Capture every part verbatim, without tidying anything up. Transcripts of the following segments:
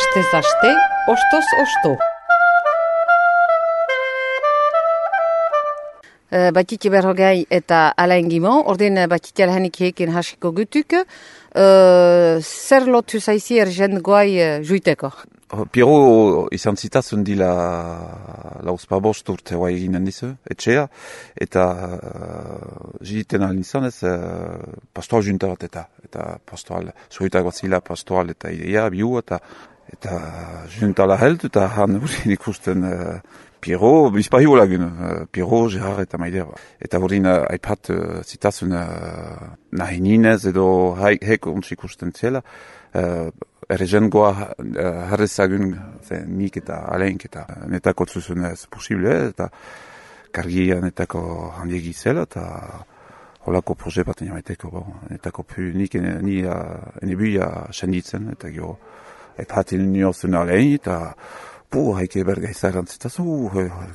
Astez aste, ostoz osto. Uh, Batiti berrogei eta Alain Gimon, ordin batiti alhanik hekin hasiko gutuk, uh, zer lotu zaizi ergen goai uh, juiteko? Piero izan zitazen dila lauzpa bost urte hoa eginen dizu, etxea, eta uh, jiten alin izan ez uh, pastoal junta bat eta, eta pastoal, zuhitak bat zila pastoal eta ideia, biu, eta eta junta la held, eta han urin ikusten uh, Piero, bizpahi olagun, uh, Piero, Gerard eta Maider. Eta urin uh, aipat uh, zitazen uh, nahi ninez edo hek ontsi ikusten ziela, uh, errezen goa uh, harrezagun nik eta Alaink eta netako zuzun ez posible, eta kargia netako handiegi zela, eta holako proje bat niamaiteko, bon, netako pu nik ni uh, enebuia senditzen, eta gero aipatin niozen Alain, eta po, haike berga izaran zitazu,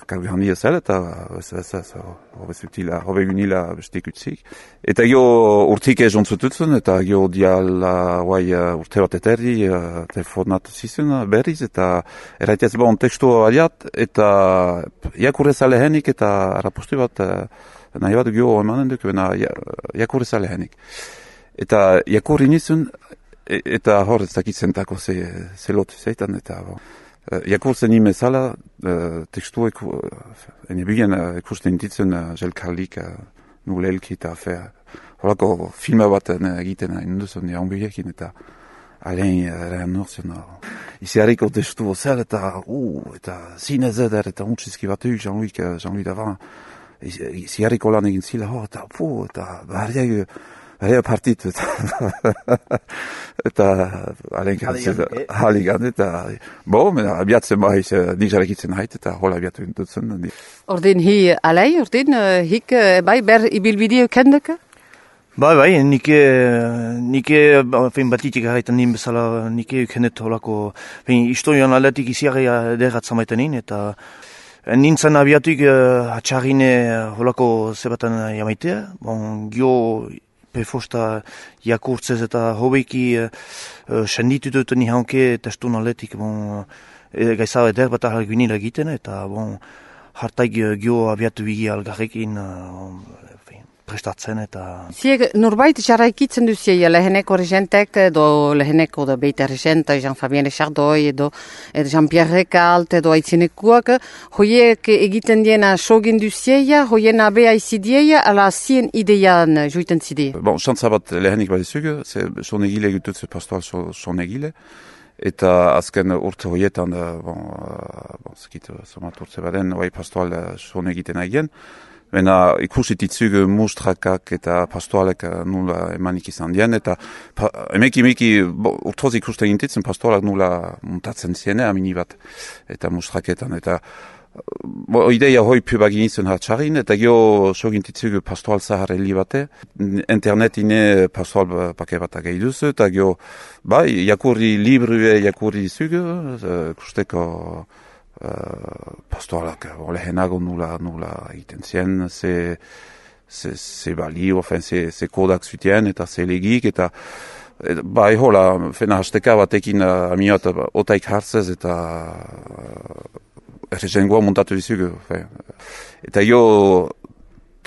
kargi handia zela, eta ez ez ez, hobe zutila, hobe gunila bestek utzik. Eta gio urtik ez jontzututzen, eta gio diala guai urte bat eterri, telefonatu zizun berriz, eta eraitez bon tekstu aliat, eta jakurrez alehenik, eta arapostu bat, nahi bat gio emanen duk, bena jakurrez alehenik. Eta jakurri nizun, eta hor ez dakitzentako ze, ze lotu zeitan, eta bon. Uh, Jakurtzen nime zala, uh, tekstu eku, uh, enebigen uh, ekusten intitzen uh, jelkarlik uh, nulelki eta fe, horako filma bat uh, egiten uh, induzun jaunbiekin eta Alain uh, nortzen. Uh, Iziariko tekstu zel eta, uh, eta zinez eder eta untxizki bat euk Jean-Louis, uh, Jean-Louis Davant. Iziariko lan egin zila, oh, eta pu, eta barriak, Rea partitu eta eta haligan eta bo, abiatzen baiz nik jarekitzen hait eta hola abiatu dutzen. Ordin hi Alain, ordin hik bai ber ibilbideo kendeke? Bai, bai, nike, nike, fein batitik haraitan nien bezala, nike kendet holako, fein historian aldatik iziarria derratzen maitanin, eta nintzen abiatuik atxarrine holako zebatan jamaitea, bon, gio pefosta jakurtzez eta hobeiki uh, senditu duten nihanke testun aletik bon, e, gaizau eder bat ahal gunila egiten eta bon, hartaik gio abiatu bigi algarrekin uh, prestatzen eta... Zieg norbait jarraikitzen duzie leheneko regentek edo leheneko da beita regenta Jean-Fabien Chardoi edo Jean-Pierre Recalt edo aitzinekuak hoiek egiten diena sogin duzie hoien abea izidie ala zien idean juiten zidie? Bon, xantza bat lehenik bat izugu, son egile gututze pastoal son egile eta azken urte hoietan bon, bon, zekitu, somat urte baden bai pastoal son egiten egien. Bena ikusititzug mustrakak eta pastoalek nula emanik izan dien, eta pa, emeki emeki urtoz ikusten gintitzen pastoalak nula montatzen ziene amini bat, eta mustraketan, eta bo, ideia hoi pubagin izan hartxarin, eta gio so gintitzug pastoal zahar heli bate, internet ine pastoal pake bat agai duzu, eta gio, bai, jakurri librue jakurri zug, kusteko Uh, pastoalak lehenago nula nula egiten zien, ze, ze, ze balio, fen, ze, ze kodak zutien eta ze legik, eta et, bai hola, fena hasteka batekin uh, amiot otaik hartzez eta uh, errezengoa montatu dizugu. Fe. Eta jo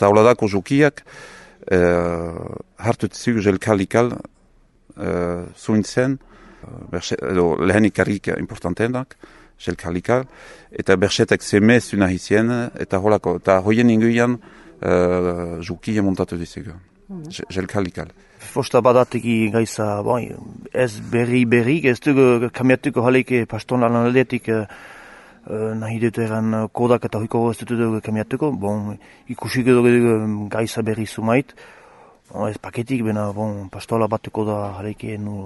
tauladako jokiak uh, hartu dizugu jelkalikal uh, zuintzen, uh, edo lehenik karrik importantenak, jelkalikal, eta bersetek semez una hizien, eta holako, eta hoien inguian uh, jukia montatu dizugu, mm-hmm. jelkalikal. Fosta badateki gaiza, bon, ez berri berri, ez dugu kamiatuko haleke pastolan aldetik uh, nahi dut eran kodak eta hoiko ez dugu kamiatuko, bon, ikusik dugu gaiza berri sumait, bon, ez paketik, bena, bon, pastola batuko da haleke nu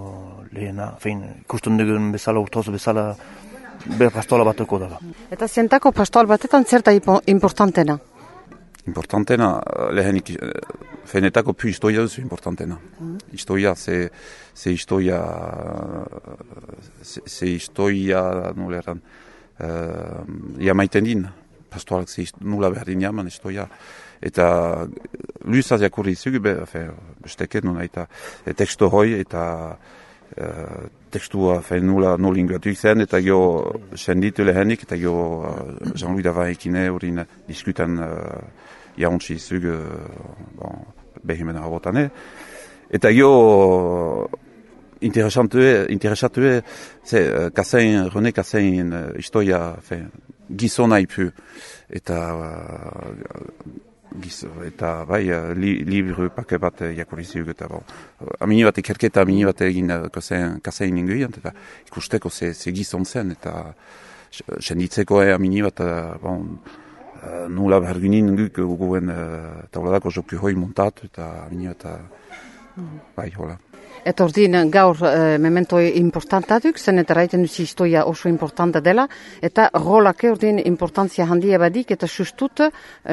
lehena, fein, ikusten dugun bezala, urtoz bezala, ber pastola batuko da. Eta zentako pastoal batetan zerta importantena? Importantena, lehenik, fenetako pu historia duzu importantena. Mm. Historia, ze, ze historia, ze, ze historia, nula eran, uh, jamaiten din, pastoalak ze nula behar din jaman historia. Eta luzaz jakurri zugu, be, besteket nuna, eta teksto hoi, eta uh, tekstua fein nula nola inguratuik zen, eta gio senditu lehenik, eta gio uh, Jean-Louis Davaekine urin diskutan uh, jauntzi zug uh, bon, behimen habotane. Eta gio interesantue, interesatue, ze, uh, Kassain, René Kassain uh, historia fein, gizona ipu, eta uh, giz, eta bai, uh, li, libru pake bat jakoriziuk, eta bon, amini bat ikerketa, amini bat egin uh, Kassain inguian, eta ikusteko ze, ze gizon zen, eta senditzeko eh, amini bat, uh, bon, uh, nula berginin guk guen uh, tauladako joku hoi montatu, eta amini bat, uh, bai, hola. Eta ordin gaur e, memento importantatuk, zen eta raiten duzi historia oso importanta dela, eta rolake ordin importantzia handia badik, eta sustut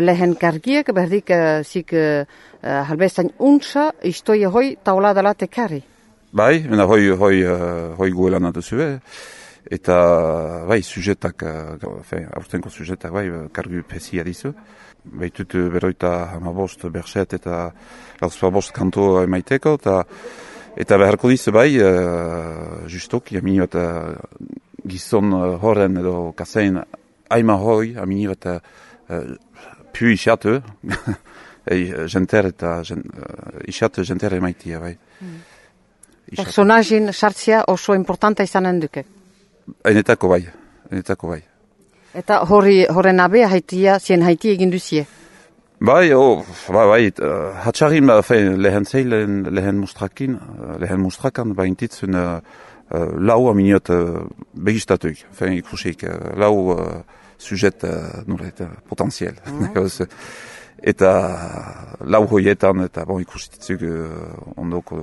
lehen kargiek, berdik e, zik e, halbestain untsa historia hoi taula dela tekari. Bai, mena hoi, hoi, uh, hoi guelan aduzue, eta bai, sujetak, uh, aurtenko sujetak, bai, kargu pesia dizu. Baitut beroita hamabost berset eta lauzpabost kanto emaiteko, eta Eta beharko dizu bai, uh, justok, amini bat uh, gizon uh, horren edo Kassain aima hoi, amini bat uh, pu isatu, jenter eta jen, uh, isatu jenter emaitia bai. Mm. Personajin sartzia oso importanta izanen duke? Enetako bai, enetako bai. Eta hori, horren abea haitia, zien haitia egin duzie? Bai, oh, bai, bai, uh, hatxarin, fein, lehen zeilen, lehen mustrakin, uh, lehen mustrakan, baintitzun uh, uh, lau aminiot uh, begistatuik, fein ikusik, uh, lau uh, sujet uh, nuret, uh, potenziel. Mm-hmm. Eta lau hoietan, eta bon ikustitzuk uh, ondoko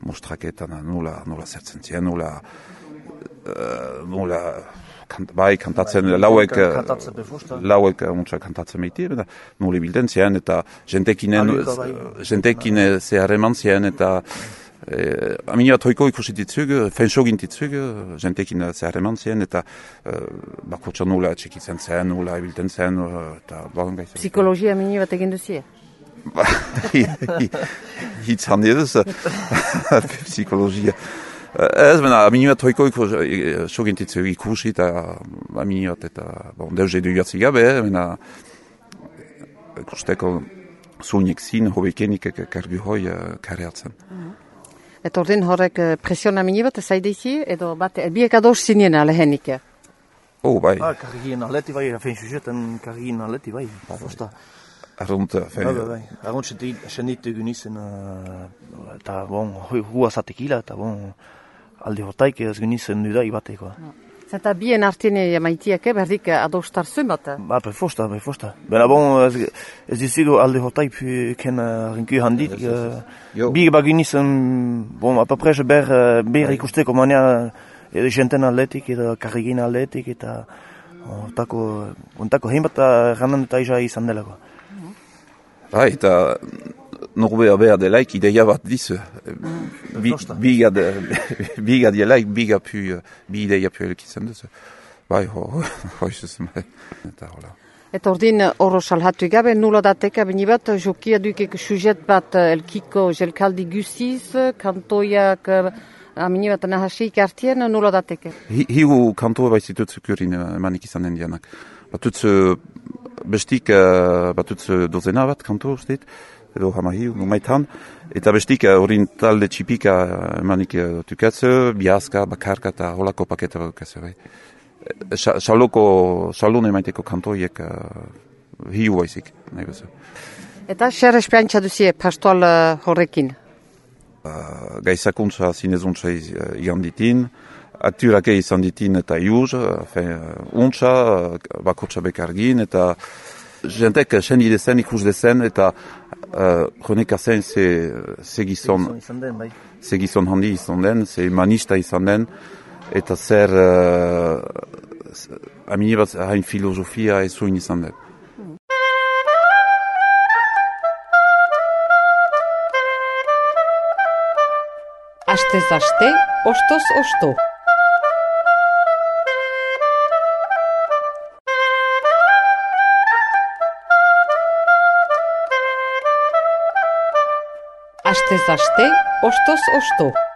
mustraketan, nula, nula zertzen zien, nula, uh, nula, Kant, bai, kantatzen, lauek, lauek muntza kantatzen meitir, eta nuli bilden zien, eta jentekinen, jentekine zehareman zien, eta eh, amina toiko ikusititzuk, fensogintittzuk, jentekine zehareman zien, eta eh, bakotxa nula txekitzen zen, nula bilden zen, eta bagan gaitzen. Psikologia amini bat egin duzie? Hitz handi eduz, psikologia. Ez, bena, amini bat hoiko sogintitzu ikusi eta amini bat eta bon, deus edu jatzi gabe, bena ikusteko zuinek zin, hobekenik kargu hoi kareatzen. Eta ordin horrek presion amini bat zaideizi, edo bat, biek ados zinien alehenik? Oh, bai. Ah, kargien aleti bai, fein sujetan kargien aleti bai, fosta. Arrunt, fein. Bai, bai, arrunt senditu gunizen, eta bon, hua zatekila, eta bon, alde hortaik ez genitzen dudai batekoa. Zeta bien artene maitiak, berdik adostar zuen bat? Ba, bai, fosta, bai, fosta. Bena bon, ez, ez dizigo alde hortaik ken rinku handit. Bi ba genitzen, bon, apaprez ber, ber ikusteko manea jenten atletik, eta karrigin atletik, eta ontako, ontako heimbat ranan eta isa izan delako. Ba, eta norbea behar delaik ideia bat dizu. Biga delaik, biga pu, bi ideia pu elikitzen duzu. Bai, hoi zuzen bai. Eta hola. Eta ordin horro salhatu gabe, nula dateka bini bat, jokia dukek sujet bat elkiko jelkaldi guziz, kantoiak amini bat nahasik artien, nula dateka. Hiu kantoa baizitut zukurin emanik izanen dianak. Batutz bestik, batutz dozena bat kanto ustit, edo hamahiu, numaitan, eta bestik horin talde txipika emanik tukatze, biazka, bakarka eta holako paketa bakatze, bai. Saloko, salone maiteko kantoiek hiu baizik, nahi bezu. Eta xer espiantza duzie pastoal horrekin? Gaizakuntza zinezuntza igan ditin, akturake izan ditin eta iuz, untza, bakotxa bekargin, eta jentek sen idezen, ikus dezen, eta Uh, René Kassain ze, ze gizon, ze gizon handi izan den, ze manista izan den, eta zer uh, amini bat hain filosofia ezuin izan den. Astez aste, ostoz osto. Astez aste, ostoz osto.